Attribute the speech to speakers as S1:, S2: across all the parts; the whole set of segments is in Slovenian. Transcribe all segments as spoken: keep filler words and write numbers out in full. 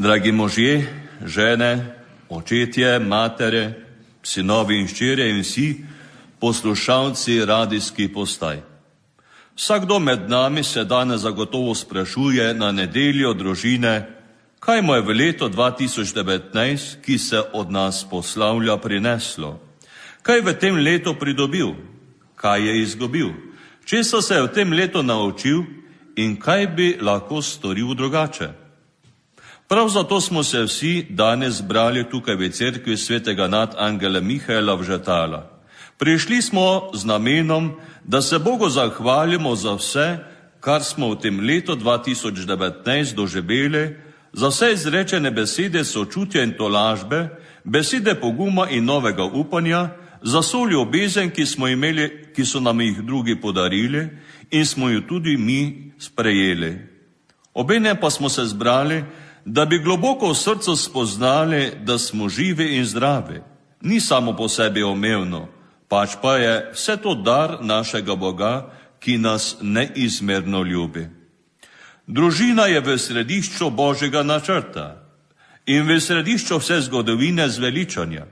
S1: Dragi možje, žene, očetje, matere, sinovi in ščirje in vsi poslušalci radijskih postaj. Vsakdo med nami se danes zagotovo sprašuje na nedeljo družine, kaj mu je v leto dva tisoč devetnajst, ki se od nas poslavlja, prineslo. Kaj v tem letu pridobil, kaj je izgubil, česa se je v tem letu naučil in kaj bi lahko storil drugače. Prav zato smo se vsi danes zbrali tukaj v cerkvi svetega nadangela Mihaela v Žetala. Prišli smo z namenom, da se Bogu zahvalimo za vse, kar smo v tem letu dva tisoč devetnajst doživeli, za vse izrečene besede sočutja in tolažbe, besede poguma in novega upanja, za vso ljubezen, ki smo imeli, ki so nam jih drugi podarili in smo jo tudi mi sprejeli. Obenem pa smo se zbrali, da bi globoko v srcu spoznali, da smo živi in zdravi. Ni samo po sebi omevno, pač pa je vse to dar našega Boga, ki nas neizmerno ljubi. Družina je v središču Božjega načrta in v središču vse zgodovine zveličanja.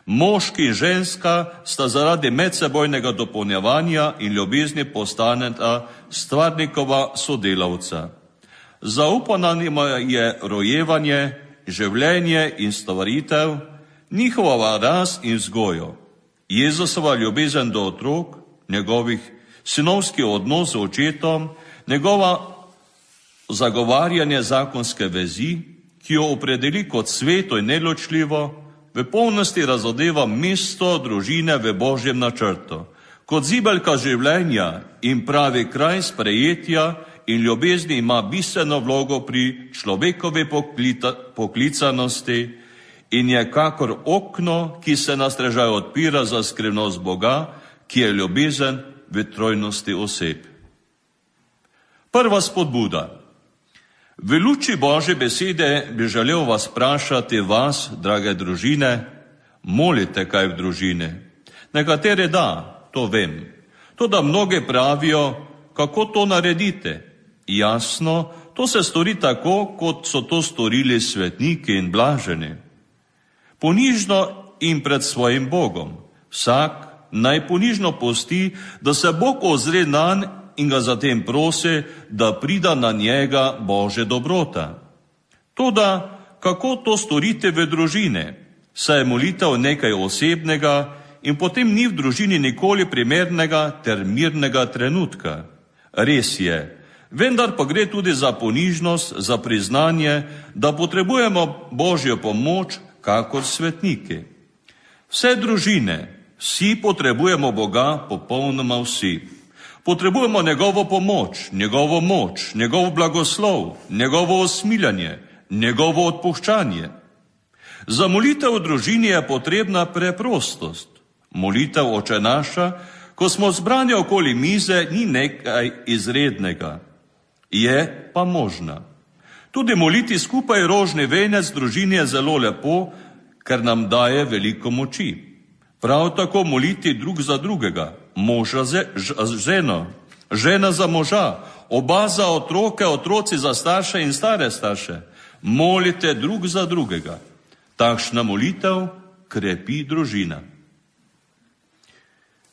S1: Moški in ženska sta zaradi medsebojnega dopolnjevanja in ljubezni postaneta stvarnikova sodelavca. Zaupana njima je rojevanje, življenje in stvaritev, njihova rast in vzgojo. Jezusova ljubezen do otrok, njegovih sinovski odnos z očetom, njegova zagovarjanje zakonske vezi, ki jo opredeli kot sveto in neločljivo, v polnosti razodeva mesto družine v Božjem načrtu, kot zibelka življenja in pravi kraj sprejetja in ljubezni ima bistveno vlogo pri človekovi poklicanosti in je kakor okno, ki se na strežaj odpira za skrivnost Boga, ki je ljubezen v trojnosti oseb. Prva spodbuda. V luči Božje besede bi želel vas vprašati vas, drage družine, molite kaj v družini. Nekatere da, to vem. Toda mnoge pravijo, kako to naredite. Jasno, to se stori tako, kot so to storili svetniki in blaženi. Ponižno in pred svojim Bogom. Vsak naj ponižno pusti, da se Bog ozre nanj in ga zatem prosi, da prida na njega Božja dobrota. Toda, kako to storite v družini? Saj je molitev nekaj osebnega in potem ni v družini nikoli primernega ter mirnega trenutka. Res je, vendar pa gre tudi za ponižnost, za priznanje, da potrebujemo Božjo pomoč, kakor svetniki. Vse družine, vsi potrebujemo Boga, popolnoma vsi. Potrebujemo njegovo pomoč, njegovo moč, njegov blagoslov, njegovo osmiljanje, njegovo odpuščanje. Za molitev v družini je potrebna preprostost. Molitev Oče naša, ko smo zbrani okoli mize, ni nekaj izrednega. Je pa možna. Tudi moliti skupaj rožni venec družini je zelo lepo, ker nam daje veliko moči. Prav tako moliti drug za drugega, moža za ženo, žena za moža, oba za otroke, otroci za starše in stare starše. Molite drug za drugega. Takšna molitev krepi družina.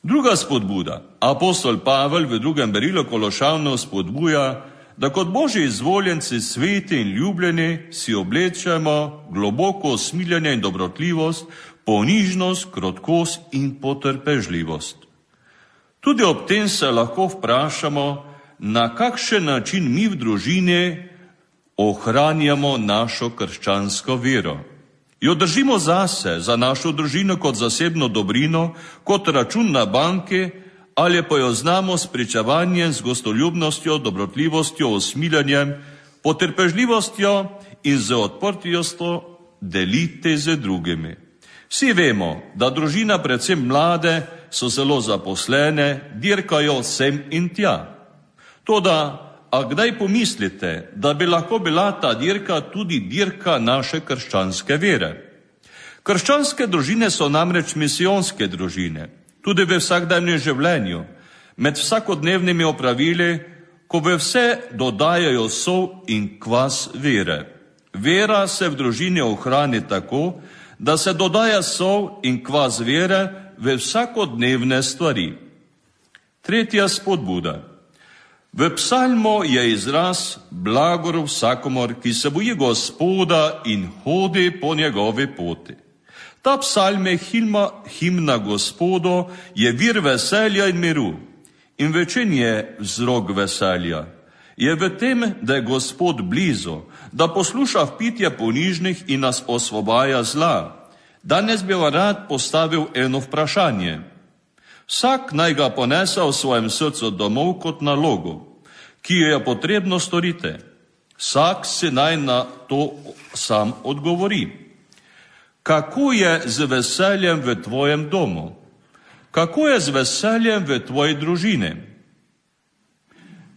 S1: Druga spodbuda. Apostol Pavel v drugem berilu Kološanov spodbuja, da kot Božji izvoljenci, sveti in ljubljeni si oblečemo globoko osmiljanje in dobrotljivost, ponižnost, krotkost in potrpežljivost. Tudi ob tem se lahko vprašamo, na kakšen način mi v družini ohranjamo našo krščansko vero. Jo držimo zase, za našo družino kot zasebno dobrino, kot račun na banki, ali pa jo znamo s pričevanjem, z gostoljubnostjo, dobrotljivostjo, osmiljanjem, potrpežljivostjo in z odprtostjo deliti z drugimi. Vsi vemo, da družina, predvsem mlade, so zelo zaposlene, dirkajo sem in tja. Toda, a kdaj pomislite, da bi lahko bila ta dirka tudi dirka naše krščanske vere? Krščanske družine so namreč misijonske družine, tudi v vsakdanjem življenju, med vsakodnevnimi opravili, ko v vse dodajajo sol in kvas vere. Vera se v družini ohrani tako, da se dodaja sol in kvas vere v vsakodnevne stvari. Tretja spodbuda. V psalmu je izraz blagor vsakomor, ki se boji Gospoda in hodi po njegovi poti. Ta psalm je himna, himna Gospodu, je vir veselja in miru. In v čem je vzrok veselja? Je v tem, da je Gospod blizu, da posluša vpitje ponižnih in nas osvobaja zla. Danes bi vam rad postavil eno vprašanje. Vsak naj ga ponese v svojem srcu domov kot nalogo, ki jo je potrebno storiti. Vsak si naj na to sam odgovori. Kako je z veseljem v tvojem domu? Kako je z veseljem v tvoji družini?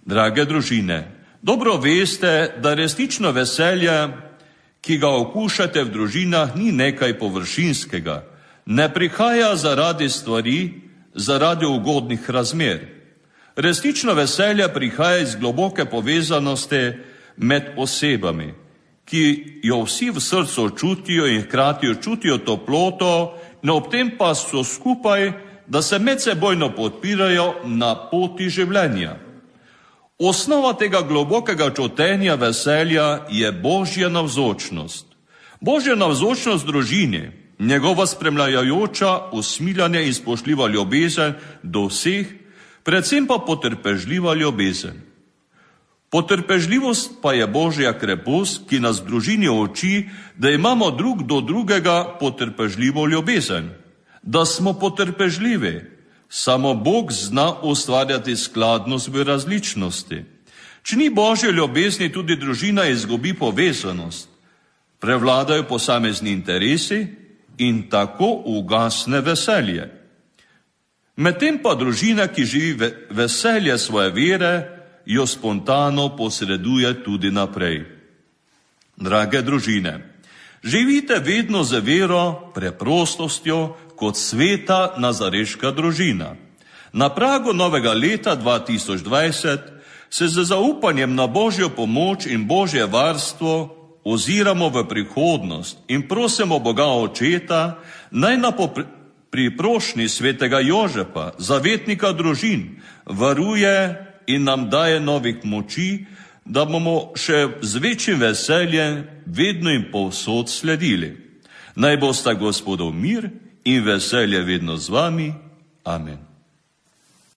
S1: Drage družine, dobro veste, da resnično veselje, ki ga okušate v družinah, ni nekaj površinskega. Ne prihaja zaradi stvari, zaradi ugodnih razmer. Resnično veselje prihaja iz globoke povezanosti med osebami, ki jo vsi v srcu čutijo in hkrati čutijo toploto, in ob tem pa so skupaj, da se medsebojno podpirajo na poti življenja. Osnova tega globokega čutenja veselja je Božja navzočnost. Božja navzočnost družini, njegova spremljajoča, usmiljanje in spoštljiva ljubezen do vseh, predvsem pa potrpežljiva ljubezen. Potrpežljivost pa je Božja krepost, ki nas v družini uči, da imamo drug do drugega potrpežljivo ljubezen, da smo potrpežljivi. Samo Bog zna ustvarjati skladnost v različnosti. Če ni Božje ljubezni, tudi družina izgubi povezanost. Prevladajo posamezni interesi in tako ugasne veselje. Medtem pa družina, ki živi veselje svoje vere, jo spontano posreduje tudi naprej. Drage družine, živite vedno z vero, preprostostjo, kot sveta nazareška družina. Na pragu novega leta dva tisoč dvajset se z zaupanjem na Božjo pomoč in Božje varstvo oziramo v prihodnost in prosimo Boga Očeta, naj na priprošnji svetega Jožefa, zavetnika družin, varuje in nam daje novih moči, da bomo še z večjim veseljem vedno in povsod sledili. Naj bosta Gospodov mir in veselje vedno z vami. Amen.